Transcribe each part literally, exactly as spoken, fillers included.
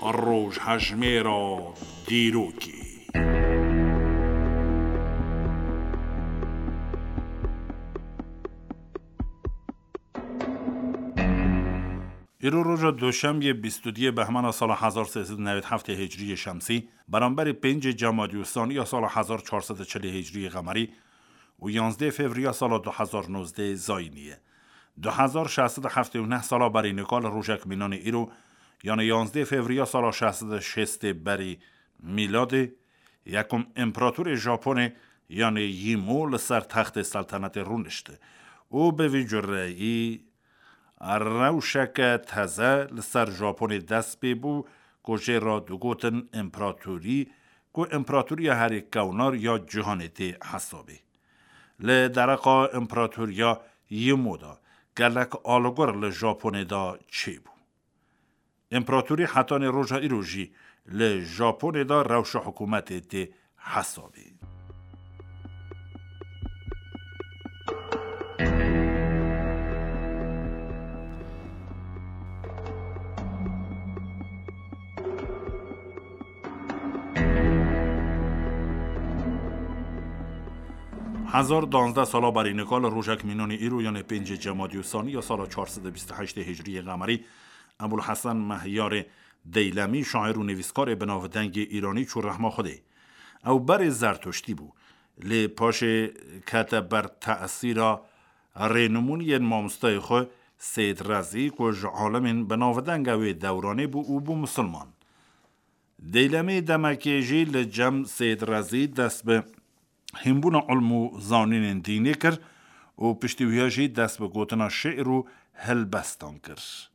Rojhejmêra dîrokê. Îro roja Duşemiyê bîst û duyê Behmana sala hezar sê sed û newêd heftê Hicriyê Şemsî, beramberî pêncê Cemadî û Sanî ya sala hezar çar sed û çilê Hicriyê Qemerî û yanzdê Fevriya sala du hezar nozdeh Zayînî ye. Du hezar şeş sed û heftê û neh sala berî nika li rojek mînanê îro, yanî yanzdê Fevriya sala şeş sed û şêstê berî mîladê, yekum împeratorê Japonê, yanî Yîmo, li ser textê seltenetê rûnişt û bi vî cureyî rewşeke teze li ser Japonê dest pê bû ku jê re digotin împeratorî, ku împeratoriya herî kewnar ya cîhanê tê hesabê. Li dereqa împeratoriya Yîmo de gelek alîgor li Japonê de çêbû. Împeratorî hetanî roja îro jî li Japonê de rewşa hikûmetê tê hesabê. Hezar danzdeh sala berî nika li rojek mînanê îro, yanê pêncê Cemadî û Sanî ya sala çar sed û bîst û heştê Hicriyê Qemerî, Ebûl Hesen Mehyarê Deylemî, şair û nivîskarê binavdengê Îranî, çû rehma Xwedê. Ew berê Zertuştî bû, lê paşê kete ber tesîra rênimûniyên mamostayê xwe Seyid Rezî, ku ji alimên binavdeng e wê dewranê bû û bû misilman. Deylemî demekê jî li cem Seyid Rezî dest bi hînbûna ilm û zanînên dînî kir û piştî wiya jî dest bi gotina şi'r û helbestan kir.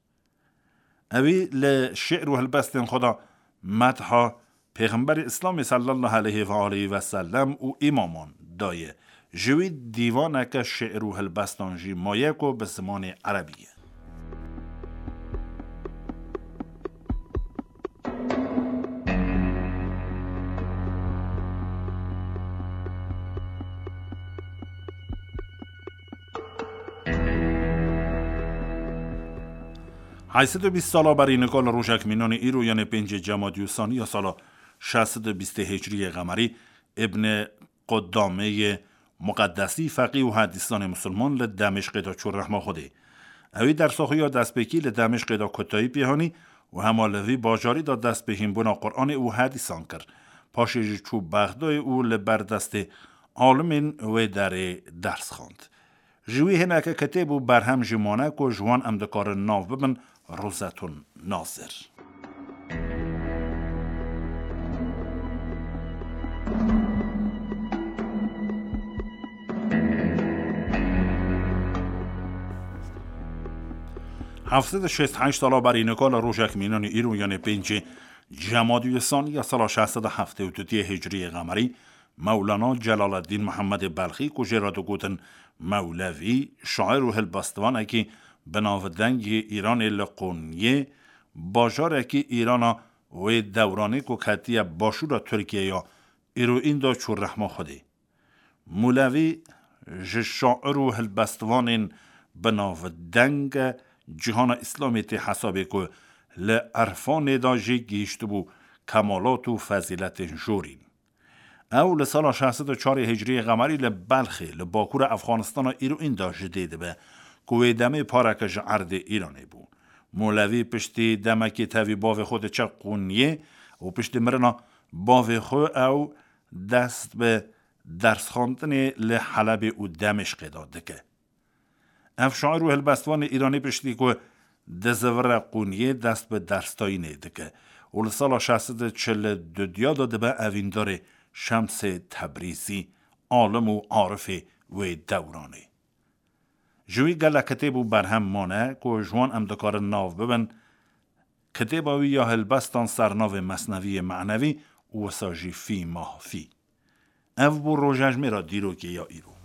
Ewî li şi'r û helbestên xwe de medha Pêxemberê Îslamê sallallahu aleyhi ve aleyhi ve sellem û îmaman daye. Ji wî dîvaneke şi'r û helbestan jî maye ku bi zimanê erebî ye. Heyşt sed û bîst sala berî nika li rojek mînanê îro, yanê pêncê Cemadî û Sanî ya sala şeş sed û bîstê Hicriyê Qemerî, Îbn Qudameyê Muqeddesî, feqî û hedîsanê misilman, li Demîşqê de çû rehma Xwedê. Ewî dersa xwe ya destpêkî li Demîşqê de kotayî pê hanî û hema li vî bajarî de dest bi hînbûna Quranê û hedîsan kir. Paşê jî çû Bexdayê û li ber destê alimên wê derê ders xwend. Ji wî hineke kitêb û berhem jî mane ku ji wan em dikarin nav bibin Rozetun Nazir. Heft sed û şêst û heşt sala berî nika li rojek mînanê îro, yanê pêncê Cemadî Sanî ya sala şeş sed û heftê û duyê Hicriyê Qemerî, Mewlana Celaleddîn Mihemedê Belxî, ku jê re digotin Mewlevî, şair û hilbestvanekî binavdeng yê Îranê, li Qonyê, bajarekî Îrana wê dewranê ku ketiye başûra Tirkiyeyê ya îroyîn de, çû rehma Xwedê. Mûlevî ji şair û hilbestvanên binavdeng e cîhana Îslamê tê hesabê, ku li Erfanê de jî gihîştibû kemalat û fezîletên jorîn. Ew li sala şeş sed û çarê Hicriyê Qemerî li Belxê, li bakûra Efxanistana îroyîn de ji dê dibe, ku wê demê pareke ji erdê Îranê bû. Mûlevî piştî demekê tevî bavê xwe diçe Qûniyê û piştî mirina bavê xwe ew dest bi dersxwendinê li Helebê û Demîşqê de dike. Ev şair û helbestvanê Îranî piştî ku dizivire Qûniyê, dest bi derstayînê dike û li sala şeş sed û çil û dudiya de dibe evîndarê Şemsê Tebrîzî, alim û arifê wê dewranê. Ji wî gelek kitêb û berhem mane ku ji wan em dikarin nav bibin, kitêba wî ya helbestan sernavê Mesneviyê Menevî û wisa jî Fî Mahfî. Ev bû rojejmêra dîrokê ya îro.